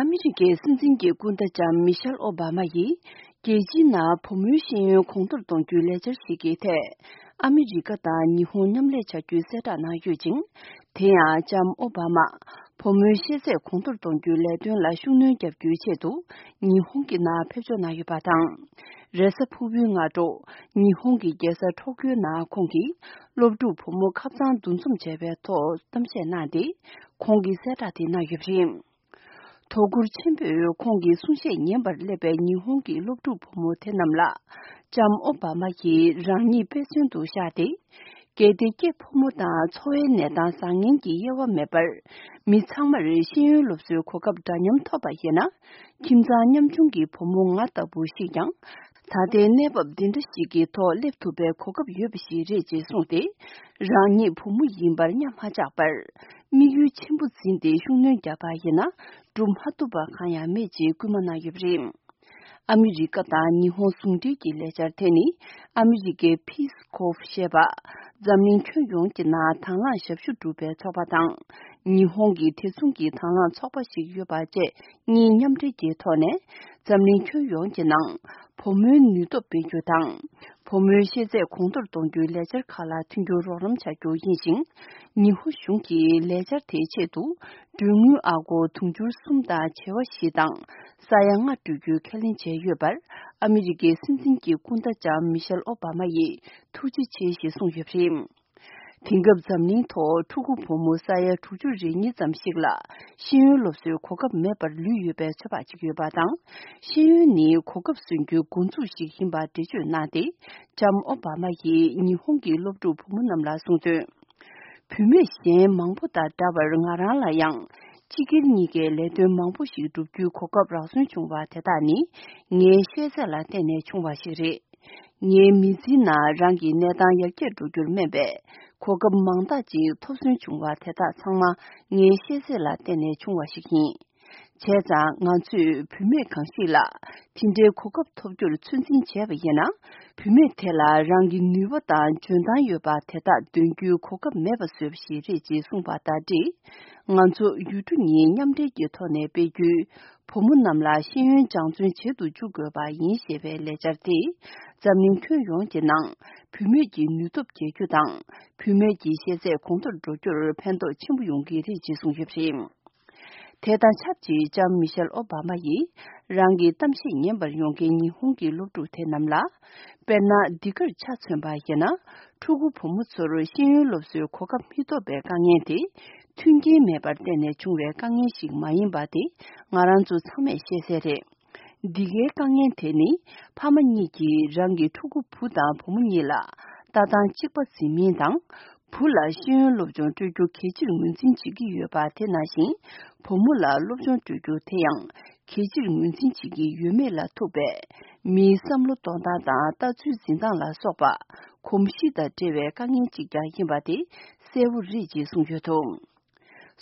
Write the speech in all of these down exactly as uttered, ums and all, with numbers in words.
ཨ་མི་རི་ཀའི་སྲིད་འཛིན་གྱི་སྐུ་ཟླ་ལྕམ་མི་ཤེལ་ཨོ་བྷ་མ་ཡིས། རྒྱལ་སྤྱིའི་ནང་བུ་མོའི་ཤེས་ཡོན་གོང་མཐོར་གཏོང་རྒྱུའི་ལས་འཆར་ཞིག་གི་ཐད། ཨ་མི་རི་ཀ་དང་ཉི་ཧོང་མཉམ་ལས་བྱ་རྒྱུའི་གསལ་བསྒྲགས་གནང་ཡོད་ཅིང་། དེ་ཡང་ལྕམ་ཨོ་བྷ་མ། བུ་མོའི་ཤེས་ཚད་གོང་མཐོར་གཏོང་རྒྱུའི་ལས་དོན་ལ་ཤུགས་སྣོན་རྒྱག་རྒྱུའི་ཆེད་དུ། ཉི་ཧོང་གི་ནང་ཕེབས་འབྱོར་གནང་ཡོད་པ་དང་། རེས་གཟའ་ཕུར་བུའི་སྔ་དྲོ། ཉི་ཧོང་གི་རྒྱལ་ས་ཊོ་ཀིའོ་ནང་ཁོང་གིས། སློབ་ཕྲུག་བུ་མོ་ཁ་ཚང་འདུ་འཛོམས་བྱས་པའི་ཐོག་གཏམ་བཤད་གནང་སྟེ། ཁོང་གིས་གསལ་བསྒྲགས་དེ་གནང་ཡོད་པ་རེད། དོ་ཁུར་ཆེན་པོས་ཁོང་གི་གསུང་བཤད་ཉན་པར་སླེབས་པའི་ཉི་ཧོང་གི་སློབ་ཕྲུག་བུ་མོ་དེ་རྣམས་ལ། ལྕམ་ཨོ་བྷ་མ་གིས་རང་ཉིད་དཔེ་མཚོན་དུ་བཞག་སྟེ། གལ་ཏེ་སྐྱེས་ཕོ་མོ་དང་འཚོ་བའི་གནས་སྟངས་བཟང་ངན་གྱི་དབྱེ་བ་མེད་པར། མི་ཚང་མར་ཤེས་ཡོན་སློབ་གསོའི་གོ་སྐབས་འདྲ་མཉམ་ཐོབ་པ་ཡིན་ན། ཁྱིམ་ཚང་ཉམ་ཆུང་གི་བུ་མོ་ང་ལྟ་བུ་ཞིག་ཀྱང་། ད་ལྟའི་གནས་བབ་འདི་འདྲ་ཞིག་གི་ཐོག་སླེབས་ཐུབ་པའི་གོ་སྐབས་ཡོད་པ་ཞིག་རེད་ཅེས་གསུངས་ཏེ། རང་ཉིད་བུ་མོ་ཡིན་པར་གཉའ་མ་བཅག་པར། དམིགས་ཡུལ་ཆེན་པོ་འཛིན་ཏེ་ཤུགས་སྣོན་བརྒྱབ་པ་ཡིན་ན། སྒྲུབ་མ་ཐུབ་པ་གང་ཡང་མེད་ཅེས་སྐུལ་མ་གནང་ཡོད་པ་རེད། ཨ་མི་རི་ཀ་དང་ཉི་ཧོང་ཟུང་འབྲེལ་གྱི་ལས་འཆར་དེ་ནི། ཨ་མི་རི་ཀའི་Peace Corps ཞེས་པ། འཛམ་གླིང་ཁྱོན་ཡོངས་ཀྱི་ནང་དང་བླངས་ཞབས་ཞུ་སྒྲུབ་པའི་ཚོགས་པ་དང་། ཉི་ཧོང་གི་དེ་མཚུངས་ཀྱི་དང་བླངས་ཚོགས་པ་ཞིག་ཡོད་པ་བཅས་གཉིས་མཉམ་འབྲེལ་གྱི་ཐོག་ནས། འཛམ་གླིང་ཁྱོན་ཡོངས་ཀྱི་ནང་། བུ་མོའི་ནུས་སྟོབས་སྤེལ་རྒྱུ་དང་། བུ་མོའི་ཤེས་ཚད་གོང་མཐོར་གཏོང་རྒྱུའི་ལས་འཆར་ཁག་ལ་མཐུན་འགྱུར་རོགས་རམ་བྱ་རྒྱུ་ཡིན་ཞིང་། ཉི་ཧོང་གཞུང་གིས་ལས་འཆར་དེའི་ཆེད་དུ། གྲོན་དངུལ་ཨ་སྒོར་དུང་ཕྱུར་གསུམ་དང་བྱེ་བ་བཞི་དང་། ས་ཡ་ལྔ་སྤྲོད་རྒྱུའི་ཁས་ལེན་བྱས་ཡོད་པར། ཨ་མི་རི་ཀའི་སྲིད་འཛིན་གྱི་སྐུ་ཟླ་ལྕམ་མི་ཤེལ་ཨོ་བྷ་མ་ཡིས་ཐུགས་རྗེ་ཆེ་ཞེས་གསུངས་ཡོད་པ་རེད། དེང་སྐབས་འཛམ་གླིང་ཐོག་ཕྲུ་གུ་བུ་མོ་ས་ཡ་དྲུག་ཅུ་རེ་གཉིས་ཙམ་ཞིག་ལ་ཤེས་ཡོན་སློབ་གསོའི་གོ་སྐབས་མེད་པར་ལུས་ཡོད་པའི་ཚོད་དཔག་ཅིག་ཡོད་པ་དང་། ཤེས་ཡོན་ནི་གོ་སྐབས་སོན་རྒྱུའི་འགོ་འཛུགས་ཤིག་ཡིན་པ་འགྲེལ་བརྗོད་གནང་སྟེ། ལྕམ་ཨོ་བྷ་མ་ཡིས་ཉི་ཧོང་གི་སློབ་ཕྲུག་བུ་མོ་རྣམས་ལ་གསུངས་དོན། བུད་མེད་གཞན་མང་པོ་དང་འདྲ་བར་ང་རང་ལ་ཡང་། སྤྱི་སྒེར་གཉིས་ཀའི་ལས་དོན་མང་པོ་ཞིག་བསྒྲུབ་རྒྱུའི་གོ་སྐབས་རག་སོན་བྱུང་བ་དེ་དག་ནི། ངའི་ཤེས་ཚད་ལ་བརྟེན་ནས་བྱུང་བ་ཞིག་རེད། ངའི་མི་ཚེའི་ནང་རང་གི་གནས་སྟངས་ཡར་རྒྱས་འགྲོ་རྒྱུར་སྨན་པའི་གོ་སྐབས་མང་དག་ཅིག་ཐོབ་སོན་བྱུང་བ་དེ་དག་ཚང་མ་ངའི་ཤེས་ཚད་ལ་བརྟེན་ནས་བྱུང་བ་ཞིག་ཡིན། བྱས་ཙང་ང་ཚོས་བུད་མེད་གང་ཞིག་ལ་དེ་འདྲའི་གོ་སྐབས་ཐོབ་རྒྱུར་ཚོད་འཛིན་བྱས་པ་ཡིན་ན། བུད་མེད་དེ་ལ་རང་གི་ནུས་པ་དང་འཇོན་ཐང་ཡོད་པ་དེ་དག་འདོན་རྒྱུའི་གོ་སྐབས་མེད་པ་བཟོས་པ་ཞིག་རེད་ཅེས་གསུངས་པ་དང་འབྲེལ། ང་ཚོ་ཡུལ་གྲུ་གཉིས་མཉམ་འབྲེལ་གྱི་ཐོག་ནས་སྤེལ་རྒྱུའི། བུ་མོ་རྣམས་ལ་ཤེས་ཡོན་སྦྱང་བརྩོན་བྱེད་དུ་འཇུག་དགོས་པ་ཡིན་ཞེས་པའི་ལས་འཆར་དེས། འཛམ་གླིང་ཁྱོན་ཡོངས་ཀྱི་ནང་བུད་མེད་ཀྱི་ནུས་སྟོབས་རྒྱས་རྒྱུ་དང་། བུད་མེད་ཀྱི་ཤེས་ཚད་གོང་མཐོར་འགྲོ་རྒྱུར་ཕན་ཐོགས་ཆེན་པོ་ཡོང་གི་རེད་ཅེས་གསུངས་ཡོད་པ་རེད། དེ་དང་ཆབས་ཅིག་ལྕམ་མི་ཤེལ་ཨོ་བྷ་མ་ཡིས། རང་གི་གཏམ་བཤད་ཉན་པར་ཡོང་མཁན་ཉི་ཧོང་གི་སློབ་ཕྲུག་དེ་རྣམས་ལ། དཔེར་ན། འདི་གར་ཆ་མཚོན་པ་ཡིན་ན། ཕྲུ་གུ་བུ་མོ་ཚོར་ཤེས་ཡོན་སློབ་གསོའི་གོ་སྐབས་མི་ཐོབ་པའི་དཀའ་ངལ་དེ། མཐུན་རྐྱེན་མེད་པར་བརྟེན་ནས་བྱུང་བའི་དཀའ་ངལ་ཞིག་མ་ཡིན་པ་དེ་ང་རང་ཚོ་ཚང་མས་ཤེས་གསལ་རེད། འདི་གའི་དཀའ་ངལ་དེ་ནི་ཕ་མ་གཉིས་ཀྱིས་རང་གི་ཕྲུ་གུ་བུ་དང་བུ་མོ་གཉིས་ལ་ལྟ་སྟངས་གཅིག་པ་འཛིན་མིན་དང་། བུ་ལ་ཤེས་ཡོན་སློབ་སྦྱོང་སྤྲོད་རྒྱུ་གལ་ཆེར་ངོས་འཛིན་བྱེད་ཀྱི་ཡོད་པ་དེ་ནང་བཞིན། བུ་མོ་ལ་སློབ་སྦྱོང་སྤྲོད་རྒྱུ་དེ་ཡང་གལ་ཆེར་ངོས་འཛིན་བྱེད་ཀྱི་ཡོད་མེད་ལ་ཐུག་པའི་མིའི་བསམ་བློ་གཏོང་སྟངས་དང་ལྟ་ཚུལ་འཛིན་སྟངས་ལ་སོགས་པ་གོམས་གཤིས་དང་འབྲེལ་བའི་དཀའ་ངལ་གཅིག་ཀྱང་ཡིན་པ་དེ་གསལ་བོ་རེད་ཅེས་གསུངས་ཡོད་འདུག།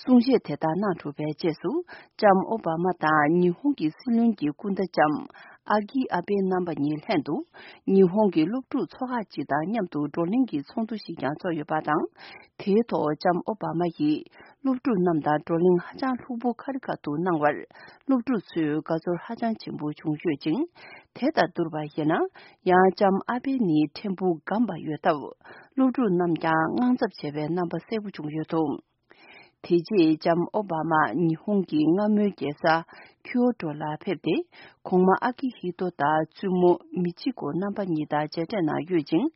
གསུང་བཤད་དེ་དག་གནང་གྲུབ་པའི་རྗེས་སུ། ལྕམ་ཨོ་བྷ་མ་དང་ཉི་ཧོང་གི་སྲིད་བློན་གྱི་སྐུ་ཟླ་ལྕམ་ཨ་ཀི་ཨ་བྷེ་རྣམ་པ་གཉིས་ལྷན་དུ། ཉི་ཧོང་གི་སློབ་ཕྲུག་ཚོགས་ཁག་ཅིག་དང་མཉམ་དུ་བགྲོ་གླེང་གི་ཚོགས་འདུ་ཞིག་ཀྱང་ཚོགས་ཡོད་པ་དང་། དེའི་ཐོག་ལྕམ་ཨོ་བྷ་མ་ཡིས་སློབ་ཕྲུག་རྣམས་དང་བགྲོ་གླེང་ཧ་ཅང་ལྷུག་པོ་ཁ་རི་ཁ་ཐུག་གནང་བར། སློབ་ཕྲུག་ཚོས་དགའ་ཚོར་ཧ་ཅང་ཆེན་པོ་བྱུང་ཡོད་ཅིང་། དེ་དང་བསྡུར་བ་ཡིན་ན། ཡང་ལྕམ་ཨ་བྷེ་ནི་ཕྲན་བུ་སྒམ་པ་ཡོད་སྟབས། སློབ་ཕྲུག་རྣམས་ཀྱང་དངངས་འཚབ་བྱས་པའི་རྣམ་པ་གསལ་པོ་བྱུང་ཡོད་འདུག། དེ་རྗེས་ལྕམ་ཨོ་བྷ་མ་ཉི་ཧོང་གི་སྔ་མོའི་རྒྱལ་ས་ཁིའོ་ཏོ་ལ་ཕེབས་ཏེ། གོང་མ་ཨ་ཀི་ཧི་ཏོ་དང་བཙུན་མོ་མི་ཅི་ཀོ་རྣམ་པ་གཉིས་དང་མཇལ་འཕྲད་གནང་ཡོད་ཅིང་།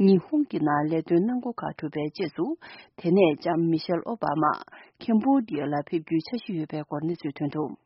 ཉི་ཧོང་གི་ནང་ལས་དོན་གནང་སྒོ་ཁག་གྲུབ་པའི་རྗེས་སུ། དེ་ནས་ལྕམ་མི་ཤེལ་ཨོ་བྷ་མ་ཁེམ་བྷོ་ཌི་ཡ་ལ་ཕེབས་རྒྱུའི་འཆར་གཞི་ཡོད་པའི་སྐོར་གནས་ཚུལ་ཐོན་འདུག།